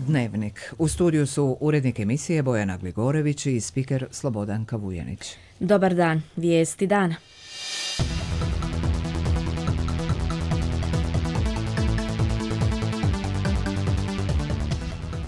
Dnevnik. U studiju su urednik emisije Bojana Gligorević i spiker Slobodan Kavujanić. Dobar dan, vijesti dana.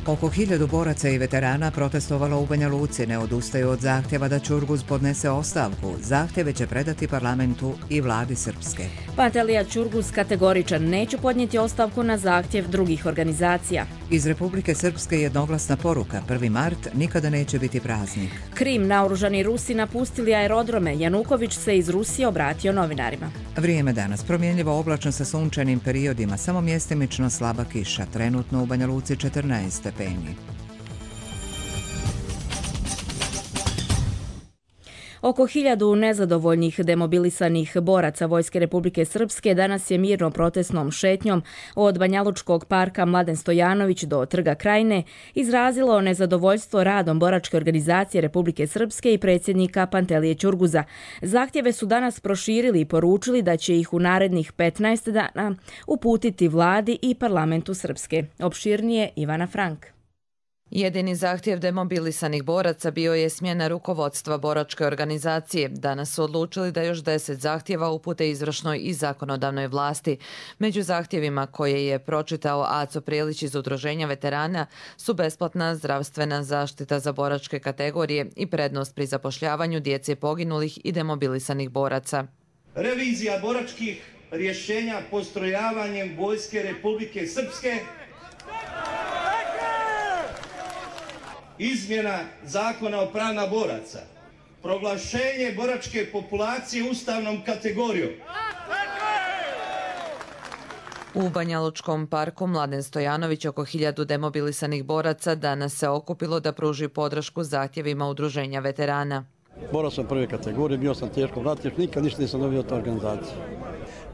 Oko 1000 boraca i veterana protestovalo u Banja Luci, ne odustaju od zahtjeva da Ćurguz podnese ostavku. Zahtjeve će predati parlamentu i vladi Srpske. Pantelija Ćurguz kategoričan, neće podnijeti ostavku na zahtjev drugih organizacija. Iz Republike Srpske jednoglasna poruka, 1. mart nikada neće biti praznik. Krim, naoružani Rusi napustili aerodrome, Januković se iz Rusije obratio novinarima. Vrijeme danas promjenljivo oblačno sa sunčanim periodima, samo mjestimično slaba kiša, trenutno u Banja Luci 14 stepeni. Oko 1000 nezadovoljnih demobilisanih boraca Vojske Republike Srpske danas je mirno protestnom šetnjom od Banjalučkog parka Mladen Stojanović do Trga Krajine izrazilo nezadovoljstvo radom boračke organizacije Republike Srpske i predsjednika Pantelije Ćurguza. Zahtjeve su danas proširili i poručili da će ih u narednih 15 dana uputiti vladi i parlamentu Srpske. Opširnije Ivana Frank. Jedini zahtjev demobilisanih boraca bio je smjena rukovodstva boračke organizacije. Danas su odlučili da još 10 zahtjeva upute izvršnoj i zakonodavnoj vlasti. Među zahtjevima koje je pročitao Aco Prijelić iz Udruženja veterana su besplatna zdravstvena zaštita za boračke kategorije i prednost pri zapošljavanju djece poginulih i demobilisanih boraca. Revizija boračkih rješenja postrojavanjem Vojske Republike Srpske, izmjena zakona o pravima boraca, proglašenje boračke populacije ustavnom kategorijom. U Banjalučkom parku Mladen Stojanović oko 1000 demobilisanih boraca danas se okupilo da pruži podršku zahtjevima Udruženja veterana. Borac sam prve kategorije, bio sam teško vratiš, nikad ništa nisam dobio od organizacije.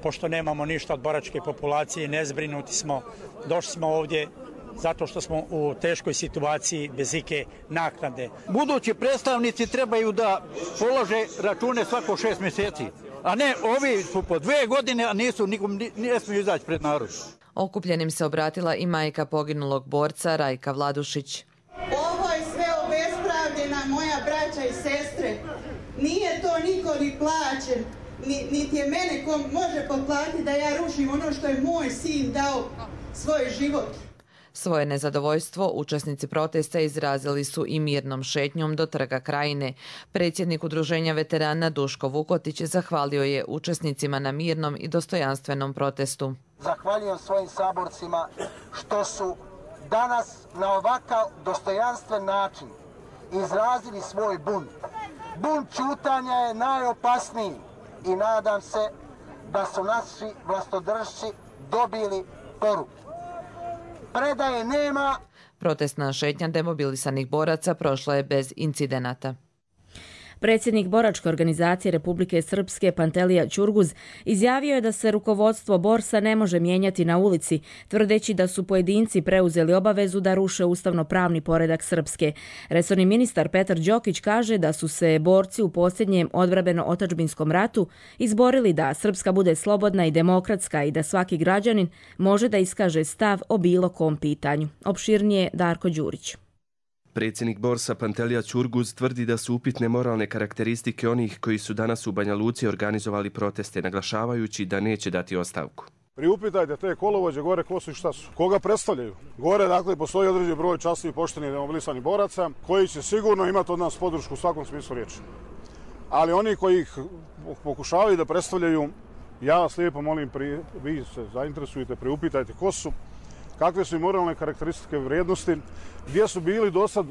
Pošto nemamo ništa od boračke populacije, nezbrinuti smo, došli smo ovdje zato što smo u teškoj situaciji bez ike naknade. Budući predstavnici trebaju da polože račune svako 6 mjeseci, a ne ovi su po 2 godine, a ne smiju izaći pred narod. Okupljenim se obratila i majka poginulog borca Rajka Vladušić. Ovo je sve obespravljena moja braća i sestre. Nije to niko ni plaćen, niti je mene ko može potplatiti da ja rušim ono što je moj sin dao svoj život. Svoje nezadovoljstvo učesnici protesta izrazili su i mirnom šetnjom do Trga Krajine. Predsjednik Udruženja veterana Duško Vukotić zahvalio je učesnicima na mirnom i dostojanstvenom protestu. Zahvaljujem svojim saborcima što su danas na ovakav dostojanstven način izrazili svoj bunt. Bunt ćutanja je najopasniji i nadam se da su naši vlastodršci dobili poruku. Predaje nema. Protestna šetnja demobilisanih boraca prošla je bez incidenata. Predsjednik boračke organizacije Republike Srpske Pantelija Ćurguz izjavio je da se rukovodstvo borsa ne može mijenjati na ulici, tvrdeći da su pojedinci preuzeli obavezu da ruše ustavno-pravni poredak Srpske. Resorni ministar Petar Đokić kaže da su se borci u posljednjem odbrambeno-otadžbinskom ratu izborili da Srpska bude slobodna i demokratska i da svaki građanin može da iskaže stav o bilo kom pitanju. Opširnije Darko Đurić. Predsjednik borsa Pantelija Ćurguz tvrdi da su upitne moralne karakteristike onih koji su danas u Banja Luci organizovali proteste, naglašavajući da neće dati ostavku. Priupitajte te kolovođe gore ko su i šta su, koga predstavljaju. Gore dakle postoji određen broj časnih, poštenih demobilisanih boraca koji će sigurno imati od nas podršku u svakom smislu riječi. Ali oni koji ih pokušavaju da predstavljaju, ja vas lijepo molim, vi se zainteresujete, priupitajte ko su, kakve su i moralne karakteristike vrijednosti, gdje su bili do sad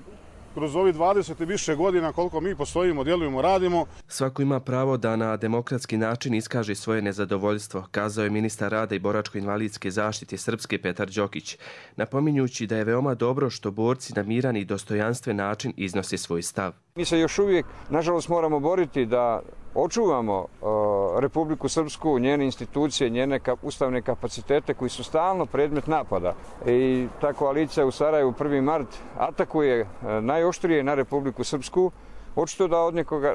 kroz ovih 20 i više godina koliko mi postojimo, djelujemo, radimo. Svako ima pravo da na demokratski način iskaže svoje nezadovoljstvo, kazao je ministar rada i boračko-invalidske zaštite Srpske Petar Đokić, napominjući da je veoma dobro što borci na miran i dostojanstven način iznose svoj stav. Mi se još uvijek, nažalost, moramo boriti da očuvamo Republiku Srpsku, njene institucije, njene ustavne kapacitete koji su stalno predmet napada. I ta koalicija u Sarajevu 1. mart atakuje najoštrije na Republiku Srpsku, Očito da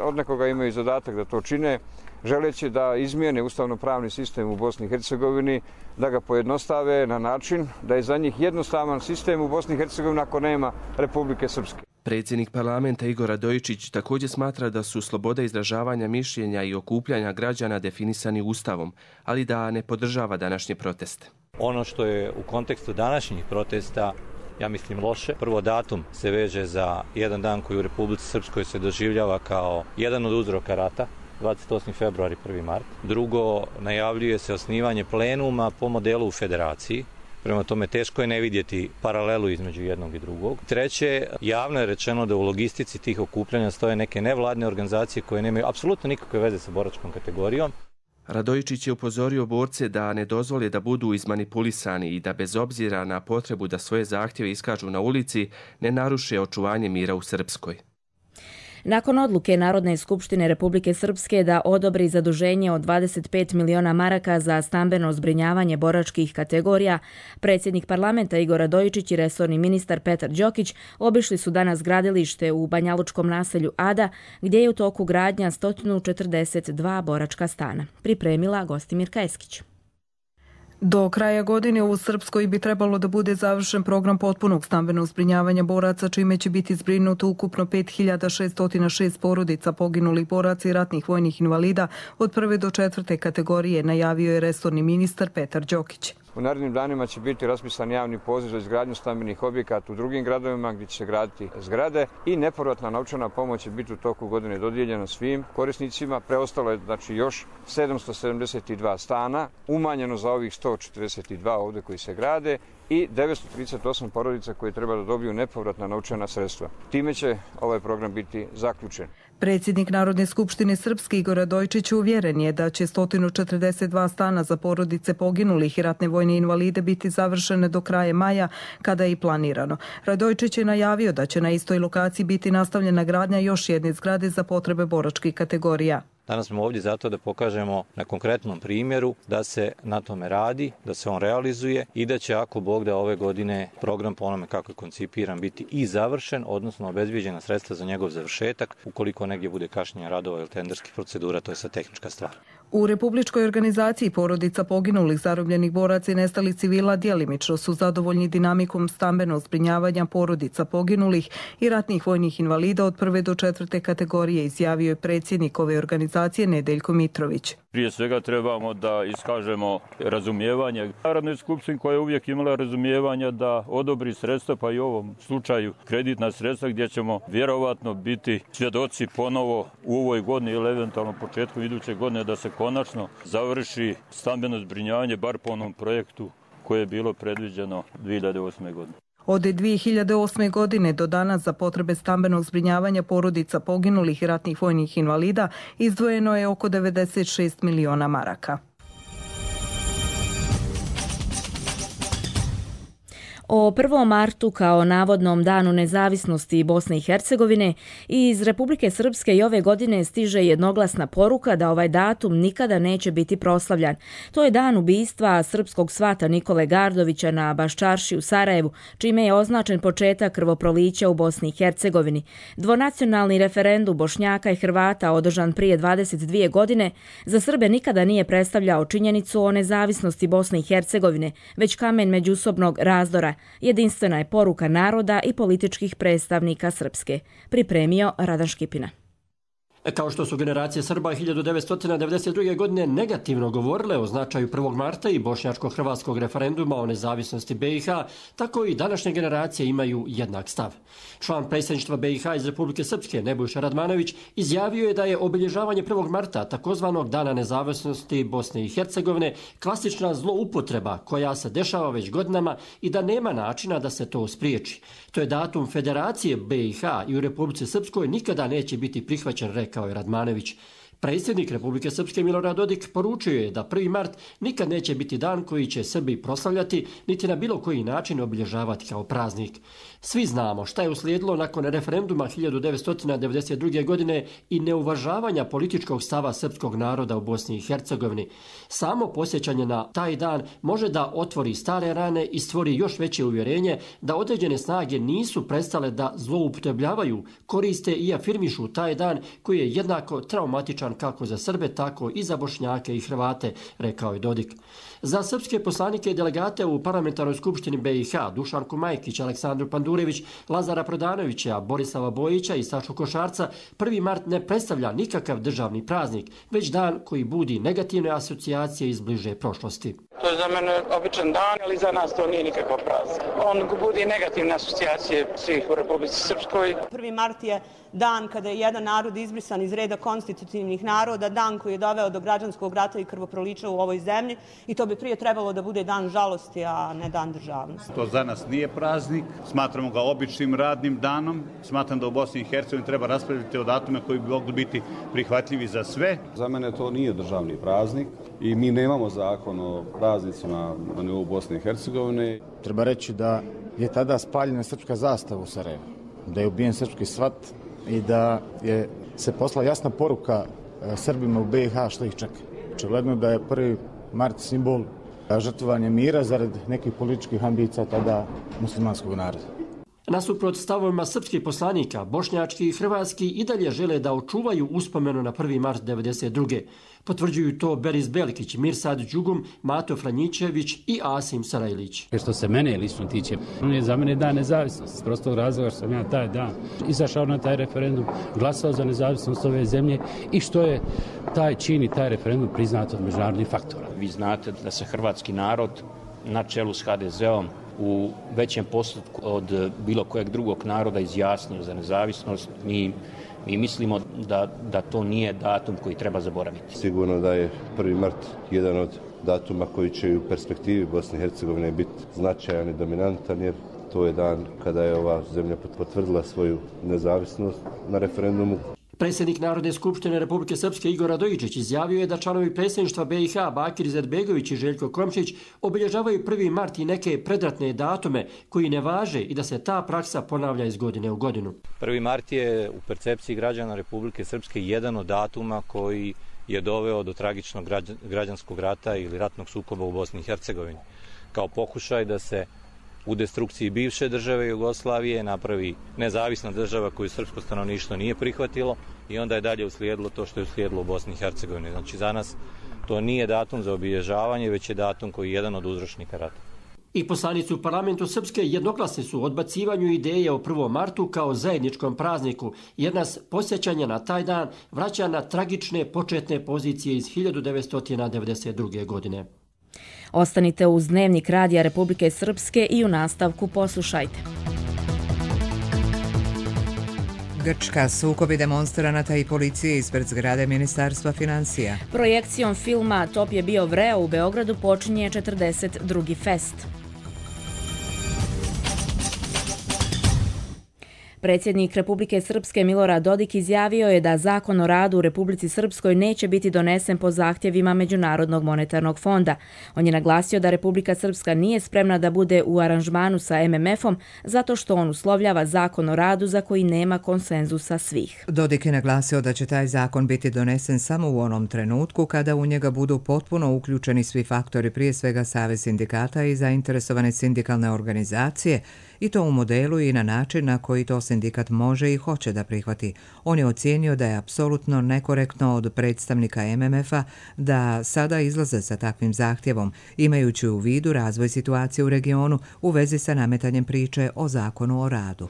od nekoga imaju zadatak da to čine, želeći da izmijene ustavno-pravni sistem u Bosni i Hercegovini, da ga pojednostave na način da je za njih jednostavan sistem u Bosni i Hercegovini ako nema Republike Srpske. Predsjednik parlamenta Igor Radojičić također smatra da su sloboda izražavanja mišljenja i okupljanja građana definisani Ustavom, ali da ne podržava današnje proteste. Ono što je u kontekstu današnjih protesta, ja mislim, loše. Prvo, datum se veže za jedan dan koji u Republici Srpskoj se doživljava kao jedan od uzroka rata, 28. februar i 1. mart. Drugo, najavljuje se osnivanje plenuma po modelu u federaciji. Prema tome, teško je ne vidjeti paralelu između jednog i drugog. Treće, javno je rečeno da u logistici tih okupljanja stoje neke nevladne organizacije koje nemaju apsolutno nikakve veze sa boračkom kategorijom. Radojičić je upozorio borce da ne dozvole da budu izmanipulisani i da bez obzira na potrebu da svoje zahtjeve iskažu na ulici, ne naruše očuvanje mira u Srpskoj. Nakon odluke Narodne skupštine Republike Srpske da odobri zaduženje od 25 miliona maraka za stambeno zbrinjavanje boračkih kategorija, predsjednik parlamenta Igor Radojičić i resorni ministar Petar Đokić obišli su danas gradilište u banjalučkom naselju Ada, gdje je u toku gradnja 142 boračka stana. Pripremila Gostimirka Eskić. Do kraja godine u Srpskoj bi trebalo da bude završen program potpunog stambenog zbrinjavanja boraca, čime će biti zbrinuto ukupno 5606 porodica poginulih boraca i ratnih vojnih invalida od 1. do 4. kategorije, najavio je resorni ministar Petar Đokić. U narednim danima će biti raspisan javni poziv za izgradnju stambenih objekata u drugim gradovima gdje će se graditi zgrade i nepovratna novčana pomoć će biti u toku godine dodijeljena svim korisnicima. Preostalo je još 772 stana, umanjeno za ovih 142 ovdje koji se grade i 938 porodica koji treba da dobiju nepovratna novčana sredstva. Time će ovaj program biti zaključen. Predsjednik Narodne skupštine Srpske Igor Radojičić uvjeren je da će 142 stana za porodice poginulih i ratne vojne invalide biti završene do kraja maja, kada je i planirano. Radojičić je najavio da će na istoj lokaciji biti nastavljena gradnja još jedne zgrade za potrebe boračkih kategorija. Danas smo ovdje zato da pokažemo na konkretnom primjeru da se na tome radi, da se on realizuje i da će, ako Bog da, ove godine program po onome kako je koncipiran biti i završen, odnosno obezbijeđena sredstva za njegov završetak. Ukoliko negdje bude kašnjenja radova ili tenderskih procedura, to je sad tehnička stvar. U Republičkoj organizaciji porodica poginulih, zarobljenih boraca i nestalih civila djelimično su zadovoljni dinamikom stambenog zbrinjavanja porodica poginulih i ratnih vojnih invalida od 1. do 4. kategorije, izjavio je predsjednik ove organizacije Nedeljko Mitrović. Prije svega trebamo da iskažemo razumijevanje Narodnoj skupštini koja je uvijek imala razumijevanja da odobri sredstva, pa i u ovom slučaju kreditna sredstva, gdje ćemo vjerovatno biti svjedoci ponovo u ovoj godini ili eventualno početku iduće godine da se konačno završi stambeno zbrinjavanje bar po onom projektu koje je bilo predviđeno 2008. godine. Od 2008. godine do danas za potrebe stambenog zbrinjavanja porodica poginulih i ratnih vojnih invalida izdvojeno je oko 96 miliona maraka. O 1. martu kao navodnom danu nezavisnosti Bosne i Hercegovine iz Republike Srpske i ove godine stiže jednoglasna poruka da ovaj datum nikada neće biti proslavljan. To je dan ubistva srpskog svata Nikole Gardovića na Baščarši u Sarajevu, čime je označen početak krvoprolića u Bosni i Hercegovini. Dvonacionalni referendum Bošnjaka i Hrvata održan prije 22 godine za Srbe nikada nije predstavljao činjenicu o nezavisnosti Bosne i Hercegovine, već kamen međusobnog razdora. Jedinstvena je poruka naroda i političkih predstavnika Srpske. Pripremio Radan Škipina. Kao što su generacije Srba 1992. godine negativno govorile o značaju 1. marta i bošnjačko-hrvatskog referenduma o nezavisnosti BiH, tako i današnje generacije imaju jednak stav. Član predsjedništva BiH iz Republike Srpske, Nebojša Radmanović, izjavio je da je obilježavanje 1. marta, takozvanog Dana nezavisnosti Bosne i Hercegovine, klasična zloupotreba koja se dešava već godinama i da nema načina da se to spriječi. To je datum Federacije BiH i u Republici Srpskoj nikada neće biti prihvaćen, rekao je Radmanović. Predsjednik Republike Srpske Milorad Dodik poručio je da 1. mart nikad neće biti dan koji će Srbi proslavljati, niti na bilo koji način obilježavati kao praznik. Svi znamo šta je uslijedilo nakon referenduma 1992. godine i neuvažavanja političkog stava srpskog naroda u Bosni i Hercegovini. Samo posjećanje na taj dan može da otvori stare rane i stvori još veće uvjerenje da određene snage nisu prestale da zloupotrebljavaju, koriste i afirmišu taj dan koji je jednako traumatičan kako za Srbe, tako i za Bošnjake i Hrvate, rekao je Dodik. Za srpske poslanike i delegate u Parlamentarnoj skupštini BiH Dušanku Majkić, Aleksandru Pandurević, Lazara Prodanovića, Borislava Bojića i Sašu Košarca 1. mart ne predstavlja nikakav državni praznik, već dan koji budi negativne asocijacije iz bliže prošlosti. To je za mene običan dan, ali za nas to nije nikakav praznik. On budi negativne asocijacije svih u Republici Srpskoj. 1. mart je dan kada je jedan narod izbrisan iz reda konstitutivnih naroda, dan koji je doveo do građanskog rata i krvoprolića u ovoj zemlji i to bi prije trebalo da bude dan žalosti, a ne dan državnosti. To za nas nije praznik, smatramo ga običnim radnim danom. Smatram da u Bosni i Hercegovini treba raspraviti o datume koji bi mogli biti prihvatljivi za sve. Za mene to nije državni praznik i mi nemamo zakon o praznicima na nivou Bosne i Hercegovine. Treba reći da je tada spaljena srpska zastava u Sarajevu, da je ubijen srpski svat i da je se poslala jasna poruka Srbima u BiH što ih čeka. Očigledno da je 1. mart simbol žrtvovanja mira zarad nekih političkih ambicija tada muslimanskog naroda. Nasuprot stavovima srpskih poslanika, bošnjački i hrvatski i dalje žele da očuvaju uspomenu na 1. mart 1992. Potvrđuju to Beris Belikić, Mirsad Đugum, Mato Franjićević i Asim Sarajlić. Što se mene lično tiče, on je za mene dan nezavisnosti. S prostog razloga što sam ja taj dan izašao na taj referendum, glasao za nezavisnost ove zemlje i što je taj čin i taj referendum priznat od međunarodnih faktora. Vi znate da se hrvatski narod na čelu s HDZ-om u većem postotku od bilo kojeg drugog naroda izjasnio za nezavisnost. Mi mislimo da to nije datum koji treba zaboraviti. Sigurno da je 1. mart jedan od datuma koji će u perspektivi Bosne i Hercegovine biti značajan i dominantan, jer to je dan kada je ova zemlja potvrdila svoju nezavisnost na referendumu. Predsjednik Narodne skupštine Republike Srpske Igor Radojičić izjavio je da članovi predsjedništva BiH Bakir Izetbegović i Željko Komšić obilježavaju 1. mart i neke predratne datume koji ne važe i da se ta praksa ponavlja iz godine u godinu. 1. mart je u percepciji građana Republike Srpske jedan od datuma koji je doveo do tragičnog građanskog rata ili ratnog sukoba u Bosni i Hercegovini. Kao pokušaj da se u destrukciji bivše države Jugoslavije napravi nezavisna država koju srpsko stanovništvo nije prihvatilo i onda je dalje uslijedilo to što je uslijedilo u Bosni i Hercegovini. Znači za nas to nije datum za obilježavanje, već je datum koji je jedan od uzročnika rata. I poslanici u parlamentu Srpske jednoglasni su odbacivanju ideje o 1. martu kao zajedničkom prazniku, jer nas posjećanje na taj dan vraća na tragične početne pozicije iz 1992. godine. Ostanite uz Dnevnik Radija Republike Srpske i u nastavku poslušajte. Grčka, sukobi demonstranata i policije ispred zgrade Ministarstva financija. Projekcijom filma Top je bio vreo u Beogradu počinje 42. fest. Predsjednik Republike Srpske Milorad Dodik izjavio je da Zakon o radu u Republici Srpskoj neće biti donesen po zahtjevima Međunarodnog monetarnog fonda. On je naglasio da Republika Srpska nije spremna da bude u aranžmanu sa MMF-om zato što on uslovljava Zakon o radu za koji nema konsenzusa svih. Dodik je naglasio da će taj zakon biti donesen samo u onom trenutku kada u njega budu potpuno uključeni svi faktori, prije svega Savez sindikata i zainteresovane sindikalne organizacije, i to u modelu i na način na koji to sindikat može i hoće da prihvati. On je ocijenio da je apsolutno nekorektno od predstavnika MMF-a da sada izlaze sa takvim zahtjevom, imajući u vidu razvoj situacije u regionu u vezi sa nametanjem priče o zakonu o radu.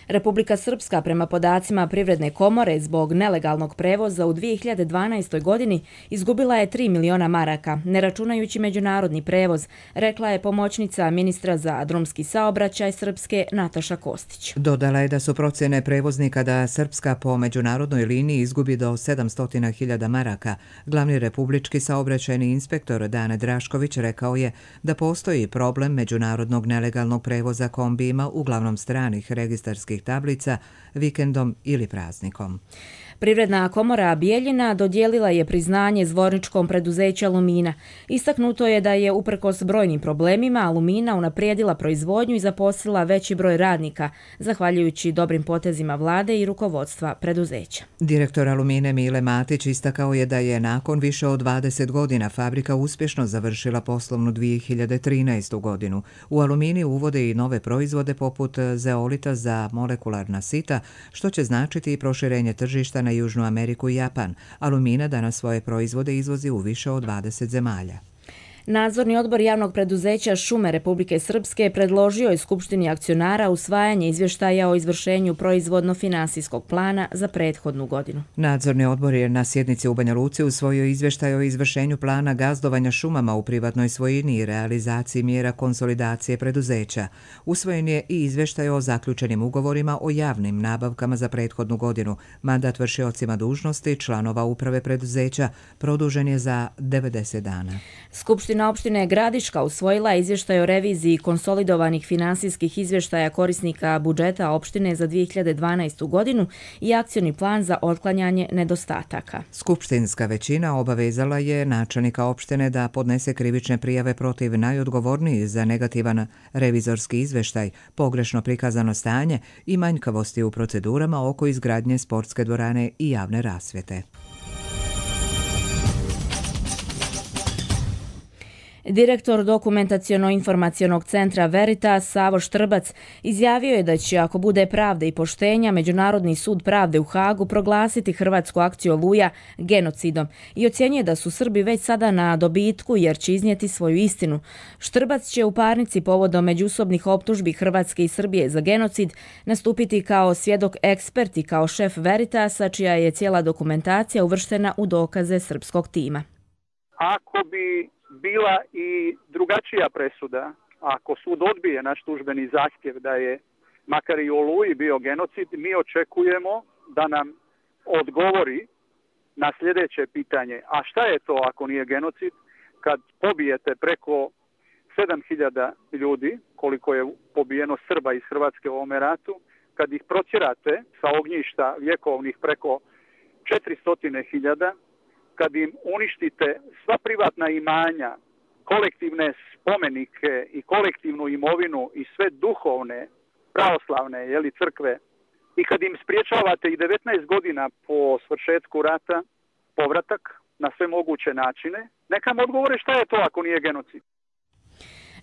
Republika Srpska prema podacima Privredne komore zbog nelegalnog prevoza u 2012. godini izgubila je 3 miliona maraka, ne računajući međunarodni prevoz, rekla je pomoćnica ministra za drumski saobraćaj Srpske Nataša Kostić. Dodala je da su procjene prevoznika da Srpska po međunarodnoj liniji izgubi do 700.000 maraka. Glavni republički saobraćajni inspektor Dane Drašković rekao je da postoji problem međunarodnog nelegalnog prevoza kombijima, uglavnom stranih registarskih tablica, vikendom ili praznikom. Privredna komora Bijeljina dodijelila je priznanje zvorničkom preduzeću Alumina. Istaknuto je da je uprkos brojnim problemima Alumina unaprijedila proizvodnju i zaposlila veći broj radnika, zahvaljujući dobrim potezima vlade i rukovodstva preduzeća. Direktor Alumine Mile Matić istakao je da je nakon više od 20 godina fabrika uspješno završila poslovnu 2013. godinu. U Alumini uvode i nove proizvode poput zeolita za molekularna sita, što će značiti i proširenje tržišta na Južnu Ameriku i Japan. Alumina danas svoje proizvode izvozi u više od 20 zemalja. Nadzorni odbor javnog preduzeća Šume Republike Srpske predložio je Skupštini akcionara usvajanje izvještaja o izvršenju proizvodno-finansijskog plana za prethodnu godinu. Nadzorni odbor je na sjednici u Banja Luci usvojio izvještaj o izvršenju plana gazdovanja šumama u privatnoj svojini i realizaciji mjera konsolidacije preduzeća. Usvojen je i izvještaj o zaključenim ugovorima o javnim nabavkama za prethodnu godinu. Mandat vršiocima dužnosti članova uprave preduzeća produžen je za 90 dana. Skupština opštine Gradiška usvojila izvještaj o reviziji konsolidovanih finansijskih izvještaja korisnika budžeta opštine za 2012. godinu i akcioni plan za otklanjanje nedostataka. Skupštinska većina obavezala je načelnika opštine da podnese krivične prijave protiv najodgovornijih za negativan revizorski izvještaj, pogrešno prikazano stanje i manjkavosti u procedurama oko izgradnje sportske dvorane i javne rasvjete. Direktor Dokumentaciono-informacionog centra Veritas Savo Štrbac izjavio je da će, ako bude pravde i poštenja, Međunarodni sud pravde u Hagu proglasiti hrvatsku akciju Oluja genocidom i ocjenjuje da su Srbi već sada na dobitku jer će iznijeti svoju istinu. Štrbac će u parnici povodom međusobnih optužbi Hrvatske i Srbije za genocid nastupiti kao svjedok ekspert i kao šef Veritasa, čija je cijela dokumentacija uvrštena u dokaze srpskog tima. Ako bi bila i drugačija presuda, ako sud odbije naš tužbeni zahtjev da je makar i u Oluji bio genocid, mi očekujemo da nam odgovori na sljedeće pitanje. A šta je to ako nije genocid? Kad pobijete preko 7.000 ljudi, koliko je pobijeno Srba iz Hrvatske u ovome ratu, kad ih protjerate sa ognjišta vjekovnih preko 400.000, kad im uništite sva privatna imanja, kolektivne spomenike i kolektivnu imovinu i sve duhovne, pravoslavne crkve, i kad im spriječavate i 19 godina po svršetku rata povratak na sve moguće načine, neka mi odgovore šta je to ako nije genocid.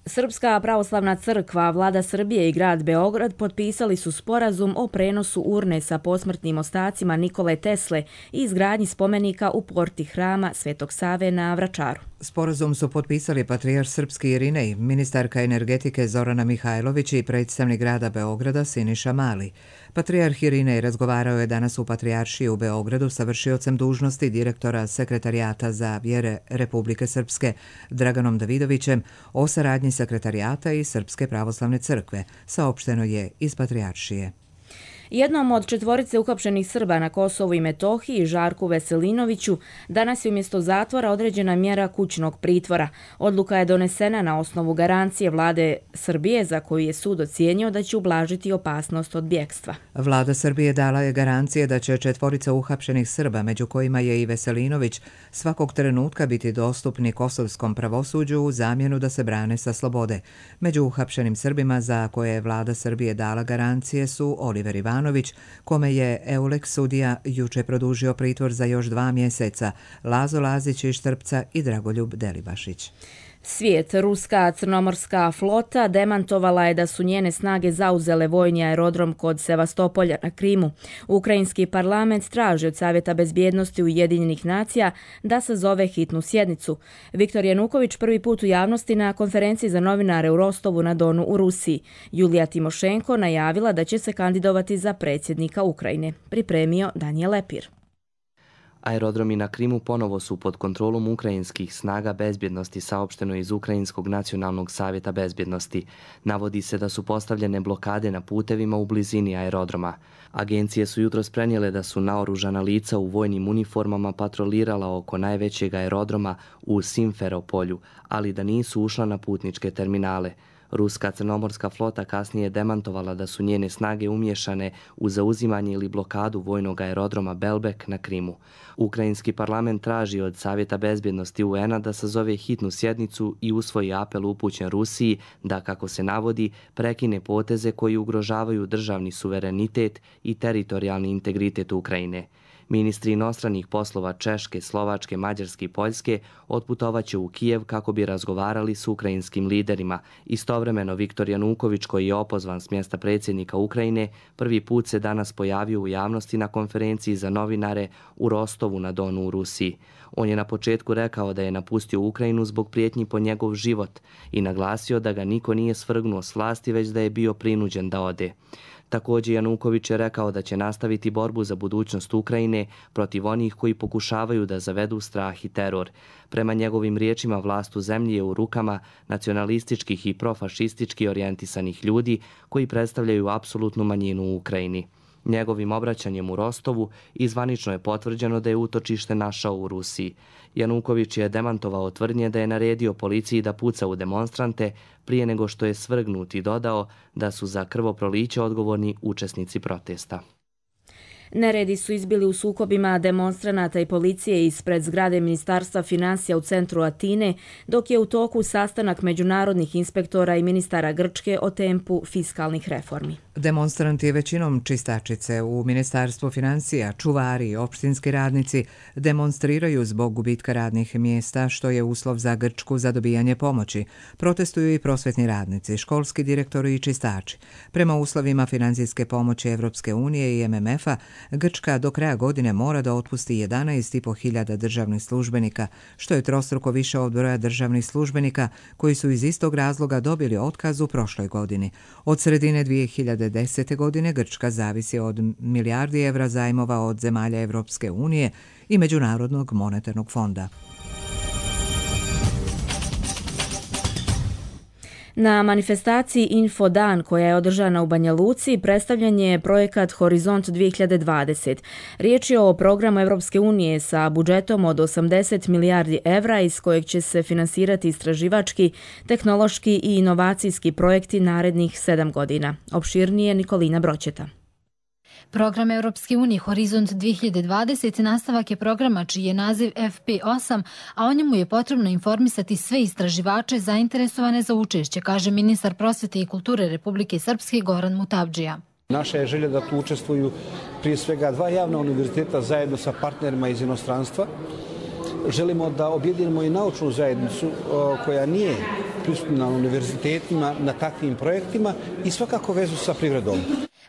Srpska pravoslavna crkva, vlada Srbije i grad Beograd potpisali su sporazum o prenosu urne sa posmrtnim ostacima Nikole Tesle i izgradnji spomenika u porti hrama Svetog Save na Vračaru. Sporazum su potpisali patrijarh srpski Irinej, ministarka energetike Zorana Mihajlović i predstavnik grada Beograda Siniša Mali. Patrijarh Irinej razgovarao je danas u Patrijaršiji u Beogradu sa vršiocem dužnosti direktora Sekretarijata za vjere Republike Srpske Draganom Davidovićem o saradnji Sekretarijata i Srpske pravoslavne crkve, saopšteno je iz Patrijaršije. Jednom od 4 uhapšenih Srba na Kosovu i Metohiji, Žarku Veselinoviću, danas je umjesto zatvora određena mjera kućnog pritvora. Odluka je donesena na osnovu garancije vlade Srbije za koju je sud ocijenio da će ublažiti opasnost od bjekstva. Vlada Srbije dala je garancije da će 4 uhapšenih Srba, među kojima je i Veselinović, svakog trenutka biti dostupni kosovskom pravosuđu u zamjenu da se brane sa slobode. Među uhapšenim Srbima za koje je vlada Srbije dala garancije su Oliver Ivanović, kome je Euleks sudija juče produžio pritvor za još 2 mjeseca, Lazo Lazić iz Štrpca i Dragoljub Delibašić. Svijet, ruska crnomorska flota demantovala je da su njene snage zauzele vojni aerodrom kod Sevastopolja na Krimu. Ukrajinski parlament traži od Savjeta bezbjednosti Ujedinjenih nacija da sazove hitnu sjednicu. Viktor Januković prvi put u javnosti na konferenciji za novinare u Rostovu na Donu u Rusiji. Julija Timošenko najavila da će se kandidovati za predsjednika Ukrajine. Pripremio Danijel Lepir. Aerodromi na Krimu ponovo su pod kontrolom ukrajinskih snaga bezbjednosti, saopšteno iz Ukrajinskog nacionalnog savjeta bezbjednosti. Navodi se da su postavljene blokade na putevima u blizini aerodroma. Agencije su jutros prenijele da su naoružana lica u vojnim uniformama patrolirala oko najvećeg aerodroma u Simferopolju, ali da nisu ušla na putničke terminale. Ruska crnomorska flota kasnije demantovala da su njene snage umješane u zauzimanje ili blokadu vojnog aerodroma Belbek na Krimu. Ukrajinski parlament traži od Savjeta bezbjednosti UN-a da sazove hitnu sjednicu i usvoji apel upućen Rusiji da, kako se navodi, prekine poteze koji ugrožavaju državni suverenitet i teritorijalni integritet Ukrajine. Ministri inostranih poslova Češke, Slovačke, Mađarske i Poljske otputovaće u Kijev kako bi razgovarali s ukrajinskim liderima. Istovremeno, Viktor Januković, koji je opozvan s mjesta predsjednika Ukrajine, prvi put se danas pojavio u javnosti na konferenciji za novinare u Rostovu na Donu u Rusiji. On je na početku rekao da je napustio Ukrajinu zbog prijetnji po njegov život i naglasio da ga niko nije svrgnuo s vlasti, već da je bio prinuđen da ode. Također Januković je rekao da će nastaviti borbu za budućnost Ukrajine protiv onih koji pokušavaju da zavedu strah i teror. Prema njegovim riječima, vlast u zemlji je u rukama nacionalističkih i profašistički orijentisanih ljudi koji predstavljaju apsolutnu manjinu u Ukrajini. Njegovim obraćanjem u Rostovu zvanično je potvrđeno da je utočište našao u Rusiji. Januković je demantovao tvrdnje da je naredio policiji da puca u demonstrante prije nego što je svrgnut i dodao da su za krvoproliće odgovorni učesnici protesta. Neredi su izbili u sukobima demonstranata i policije ispred zgrade Ministarstva financija u centru Atine, dok je u toku sastanak međunarodnih inspektora i ministara Grčke o tempu fiskalnih reformi. Demonstranti, većinom čistačice u Ministarstvu financija, čuvari i opštinski radnici, demonstriraju zbog gubitka radnih mjesta, što je uslov za Grčku za dobijanje pomoći. Protestuju i prosvetni radnici, školski direktori i čistači. Prema uslovima financijske pomoći Evropske unije i MMF-a, Grčka do kraja godine mora da otpusti 11.500 državnih službenika, što je trostruko više od broja državnih službenika koji su iz istog razloga dobili otkaz u prošloj godini. Od sredine 2010. godine Grčka zavisi od milijardi evra zajmova od zemalja Evropske unije i Međunarodnog monetarnog fonda. Na manifestaciji Infodan koja je održana u Banja Luci predstavljen je projekat Horizont 2020. Riječ je o programu Evropske unije sa budžetom od 80 milijardi evra iz kojeg će se finansirati istraživački, tehnološki i inovacijski projekti narednih 7 godina. Opširnije Nikolina Broćeta. Program Europske unije Horizont 2020 nastavak je programa čiji je naziv FP8, a o njemu je potrebno informisati sve istraživače zainteresovane za učešće, kaže ministar prosvete i kulture Republike Srpske Goran Mutavdžija. Naša je želja da tu učestvuju prije svega 2 javna univerziteta zajedno sa partnerima iz inostranstva. Želimo da objedinimo i naučnu zajednicu koja nije prisutna na univerzitetima, na takvim projektima i svakako vezu sa privredom.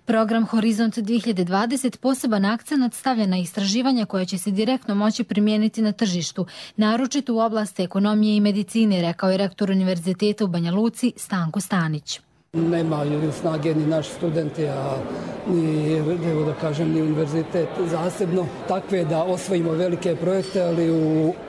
Program Horizont 2020 poseban akcenat stavlja na istraživanja koja će se direktno moći primijeniti na tržištu, naročito u oblasti ekonomije i medicine, rekao je rektor Univerziteta u Banja Luci Stanko Stanić. Nemaju snage ni naši studenti, a ni univerzitet zasebno takve da osvojimo velike projekte, ali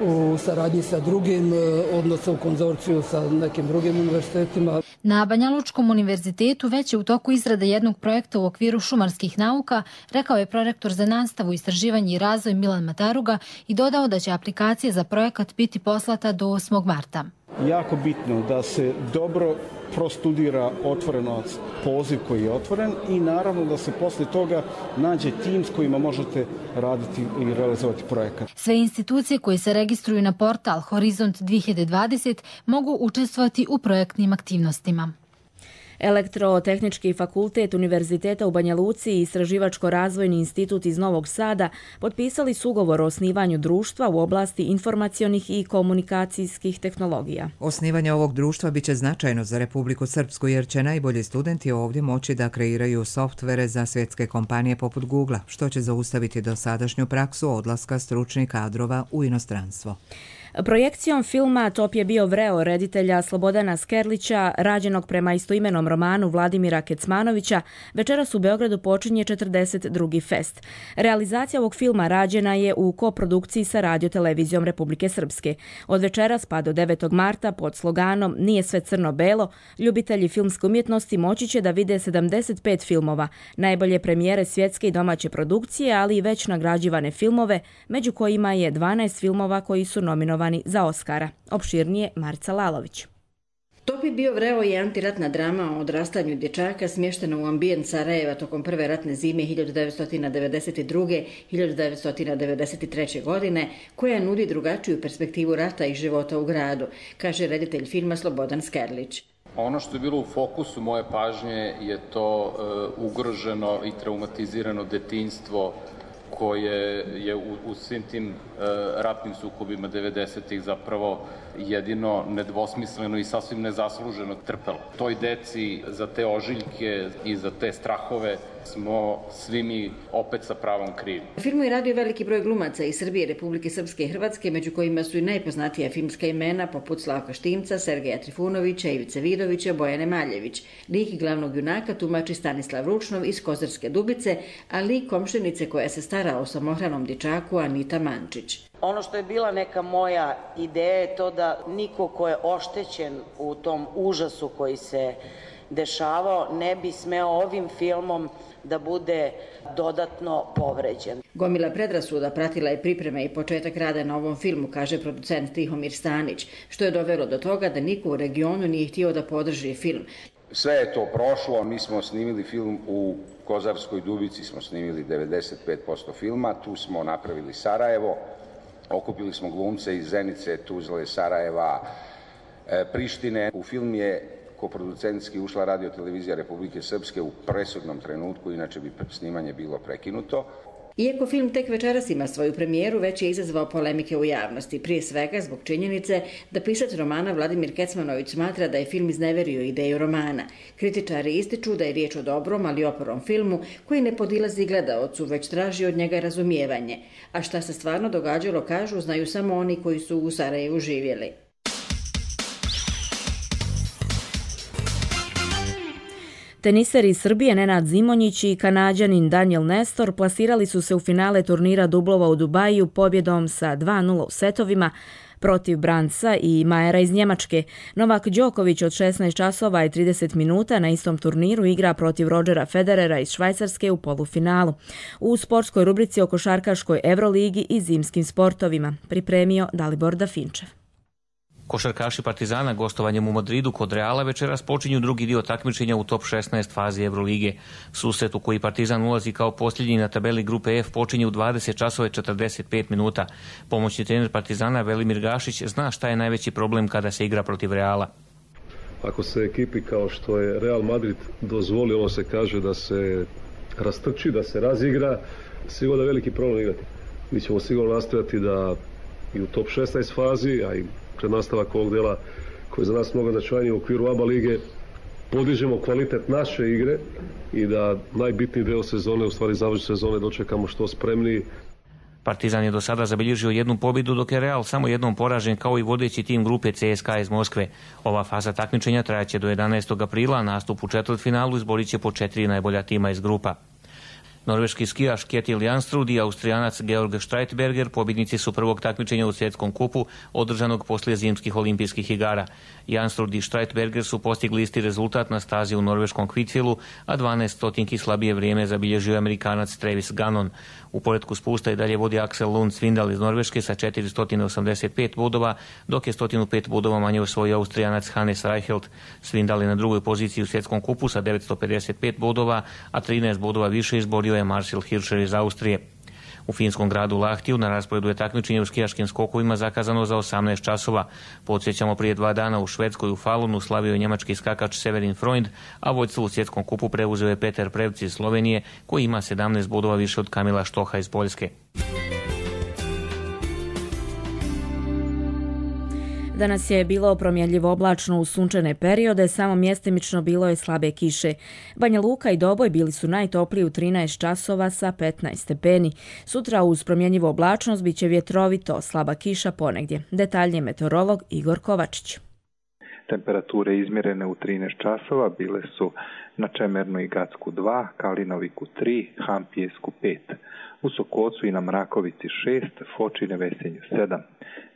u saradnji sa drugim, odnosno u konzorciju sa nekim drugim univerzitetima. Na Banja Lučkom univerzitetu već je u toku izrada jednog projekta u okviru šumarskih nauka, rekao je prorektor za nastavu, istraživanje i razvoj Milan Mataruga i dodao da će aplikacija za projekat biti poslata do 8. marta. Jako bitno da se dobro prostudira otvorenost, poziv koji je otvoren i naravno da se posle toga nađe tim s kojima možete raditi i realizovati projekat. Sve institucije koje se registruju na portal Horizont 2020 mogu učestvovati u projektnim aktivnostima. Elektrotehnički fakultet Univerziteta u Banja Luci i Istraživačko-razvojni institut iz Novog Sada potpisali su ugovor o osnivanju društva u oblasti informacionih i komunikacijskih tehnologija. Osnivanje ovog društva biće značajno za Republiku Srpsku jer će najbolji studenti ovdje moći da kreiraju softvere za svjetske kompanije poput Google-a, što će zaustaviti dosadašnju praksu odlaska stručnih kadrova u inostranstvo. Projekcijom filma Top je bio vreo reditelja Slobodana Skerlića, rađenog prema istoimenom romanu Vladimira Kecmanovića, večeras u Beogradu počinje 42. fest. Realizacija ovog filma rađena je u koprodukciji sa Radio-televizijom Republike Srpske. Od večeras pa do 9. marta pod sloganom Nije sve crno-belo, ljubitelji filmske umjetnosti moći će da vide 75 filmova, najbolje premijere svjetske i domaće produkcije, ali i već nagrađivane filmove, među kojima je 12 filmova koji su nominovani za Oskara. Opširnije Marica Lalović. Topi bio vreo je antiratna drama o odrastanju dječaka smještena u ambijent Sarajeva tokom prve ratne zime 1992-1993. godine, koja nudi drugačiju perspektivu rata i života u gradu, kaže reditelj filma Slobodan Skerlić. Ono što je bilo u fokusu moje pažnje je to ugroženo i traumatizirano detinjstvo koje je u svim tim ratnim sukobima 90-ih zapravo jedino nedvosmisleno i sasvim nezasluženo trpelo. Toj deci za te ožiljke i za te strahove smo svi mi opet sa pravom krivi. U filmu je radio veliki broj glumaca iz Srbije, Republike Srpske i Hrvatske, među kojima su i najpoznatija filmska imena poput Slavka Štimca, Sergeja Trifunovića, Ivice Vidovića, Bojane Maljević. Lik glavnog junaka tumači Stanislav Ručnov iz Kozarske Dubice, a lik komšinice koja se stara o samohranom dječaku Anita Mančić. Ono što je bila neka moja ideja je to da niko ko je oštećen u tom užasu koji se dešavao ne bi smeo ovim filmom da bude dodatno povređen. Gomila predrasuda pratila je pripreme i početak rada na ovom filmu, kaže producent Tihomir Stanić, što je dovelo do toga da niko u regionu nije htio da podrži film. Sve je to prošlo, mi smo snimili film u Kozarskoj Dubici, smo snimili 95% filma, tu smo napravili Sarajevo, okupili smo glumce iz Zenice, Tuzle, Sarajeva, Prištine. U film je koproducentski ušla Radio televizija Republike Srpske u presudnom trenutku, inače bi snimanje bilo prekinuto. Iako film tek večeras ima svoju premijeru, već je izazvao polemike u javnosti, prije svega zbog činjenice da pisac romana Vladimir Kecmanović smatra da je film izneverio ideju romana. Kritičari ističu da je riječ o dobrom, ali oporom filmu koji ne podilazi gledaocu, već traži od njega razumijevanje. A šta se stvarno događalo, kažu, znaju samo oni koji su u Sarajevu živjeli. Teniseri iz Srbije Nenad Zimonjić i Kanađanin Daniel Nestor plasirali su se u finale turnira dublova u Dubaju pobjedom sa 2:0 u setovima protiv Branca i Majera iz Njemačke. Novak Đoković od 16 časova i 30 minuta na istom turniru igra protiv Rodgera Federera iz Švajcarske u polufinalu. U sportskoj rubrici o košarkaškoj Evroligi i zimskim sportovima pripremio Dalibor Dafinčev. Košarkaši Partizana gostovanjem u Madridu kod Reala večeras počinju drugi dio takmičenja u top 16 fazi Evrolige. Susret u koji Partizan ulazi kao posljednji na tabeli grupe F počinje u 20 časova i 45 minuta. Pomoćni trener Partizana Velimir Gašić zna šta je najveći problem kada se igra protiv Reala. Ako se ekipi kao što je Real Madrid dozvoli, ono se kaže da se rastrči, da se razigra, sigurno je veliki problem igrati. Mi ćemo sigurno nastojati da i u top 16 fazi, a i pred nastavak ovog dela koji je za nas mnogo značajniji u okviru ABA lige, podižemo kvalitet naše igre i da najbitniji deo sezone, u stvari završenje sezone, dočekamo što spremniji. Partizan je do sada zabilježio jednu pobjedu, dok je Real samo jednom poražen kao i vodeći tim grupe CSKA iz Moskve. Ova faza takmičenja trajaće do 11. aprila, nastup u četvrtfinalu izborit će po 4 najbolja tima iz grupa. Norveški skijaš Kjetil Janstrud i Austrijanac Georg Streitberger pobjednici su prvog takmičenja u svjetskom kupu održanog poslije zimskih olimpijskih igara. Janstrud i Streitberger su postigli isti rezultat na stazi u norveškom Kvitfjellu, a 12 stotinki slabije vrijeme zabilježio Amerikanac Travis Gannon. U poretku spusta i dalje vodi Axel Lund Svindal iz Norveške sa 485 bodova, dok je 105 bodova manje osvojio Austrijanac Hannes Reichelt. Svindal je na drugoj poziciji u svjetskom kupu sa 955 bodova, a 13 bodova više izborio je Marcel Hirscher iz Austrije. U finskom gradu Lahtiju na rasporedu je takmičenje u skijaškim skokovima zakazano za 18 časova. Podsjećamo, prije 2 dana u Švedskoj u Falunu slavio je njemački skakač Severin Freund, a vodstvo u svjetskom kupu preuzeo je Peter Prevc iz Slovenije, koji ima 17 bodova više od Kamila Štoha iz Poljske. Danas je bilo promjenljivo oblačno u sunčane periode, samo mjestimično bilo je slabe kiše. Banja Luka i Doboj bili su najtopliji u 13 časova sa 15 stepeni. Sutra uz promjenljivo oblačnost bit će vjetrovito, slaba kiša ponegdje. Detaljnije meteorolog Igor Kovačić. Temperature izmjerene u 13 časova bile su na Čemernu i Gacku 2, Kalinoviku 3, Hampijesku 5, u Sokocu i na Mrakovici 6, Fočine Vesenju 7,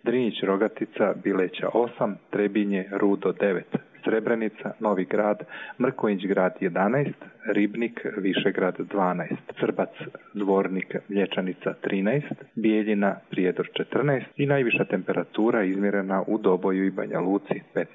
Drinjić Rogatica Bileća 8, Trebinje Rudo 9, Srebrenica, Novi Grad, Mrkonjić Grad 11, Ribnik, Višegrad 12, Crbac, Zvornik, Mlječanica 13, Bijeljina, Prijedor 14 i najviša temperatura izmjerena u Doboju i Banja Luci 15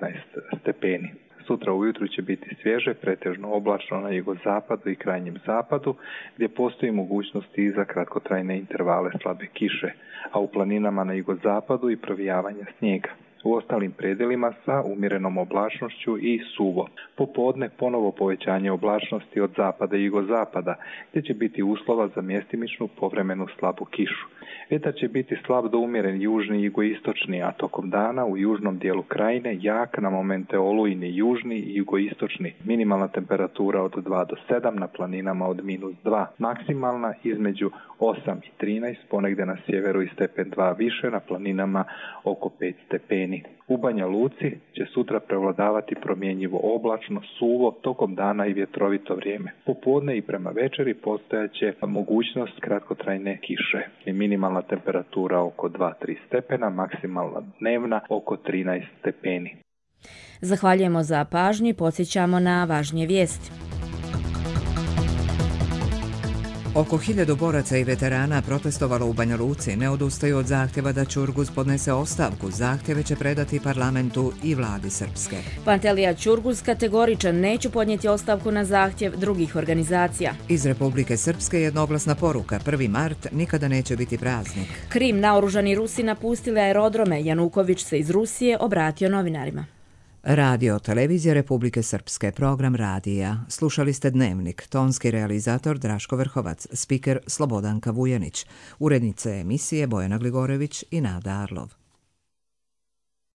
stepeni. Sutra ujutru će biti svježe, pretežno oblačno na jugozapadu i krajnjem zapadu, gdje postoji mogućnost i za kratkotrajne intervale slabe kiše, a u planinama na jugozapadu i provijavanja snijega. U ostalim predjelima sa umjerenom oblačnošću i suvo. Popodne ponovo povećanje oblačnosti od zapada i jugozapada, gdje će biti uslova za mjestimičnu povremenu slabu kišu. Vjetar će biti slab do umjeren južni i jugoistočni, a tokom dana u južnom dijelu krajine jak, na momente olujni južni i jugoistočni. Minimalna temperatura od 2 do 7, na planinama od -2. Maksimalna između 8 i 13, ponegdje na sjeveru i stepen 2 više, na planinama oko 5 stepeni. U Banja Luci će sutra prevladavati promjenjivo oblačno, suvo, tokom dana i vjetrovito vrijeme. Popodne i prema večeri postojaće mogućnost kratkotrajne kiše. I minimalna temperatura oko 2-3 stepena, maksimalna dnevna oko 13 stepeni. Zahvaljujemo za pažnju i podsjećamo na važnije vijesti. Oko 1000 boraca i veterana protestovalo u Banja Luci, ne odustaju od zahtjeva da Ćurguz podnese ostavku. Zahtjeve će predati parlamentu i vladi Srpske. Pantelija Ćurguz kategoričan, neću podnijeti ostavku na zahtjev drugih organizacija. Iz Republike Srpske jednoglasna poruka, 1. mart nikada neće biti praznik. Krim, naoružani Rusi napustili aerodrome, Januković se iz Rusije obratio novinarima. Radio televizija Republike Srpske, program radija. Slušali ste Dnevnik, tonski realizator Draško Vrhovac, spiker Slobodanka Vujanić, urednice emisije Bojana Gligorević i Nada Arlov.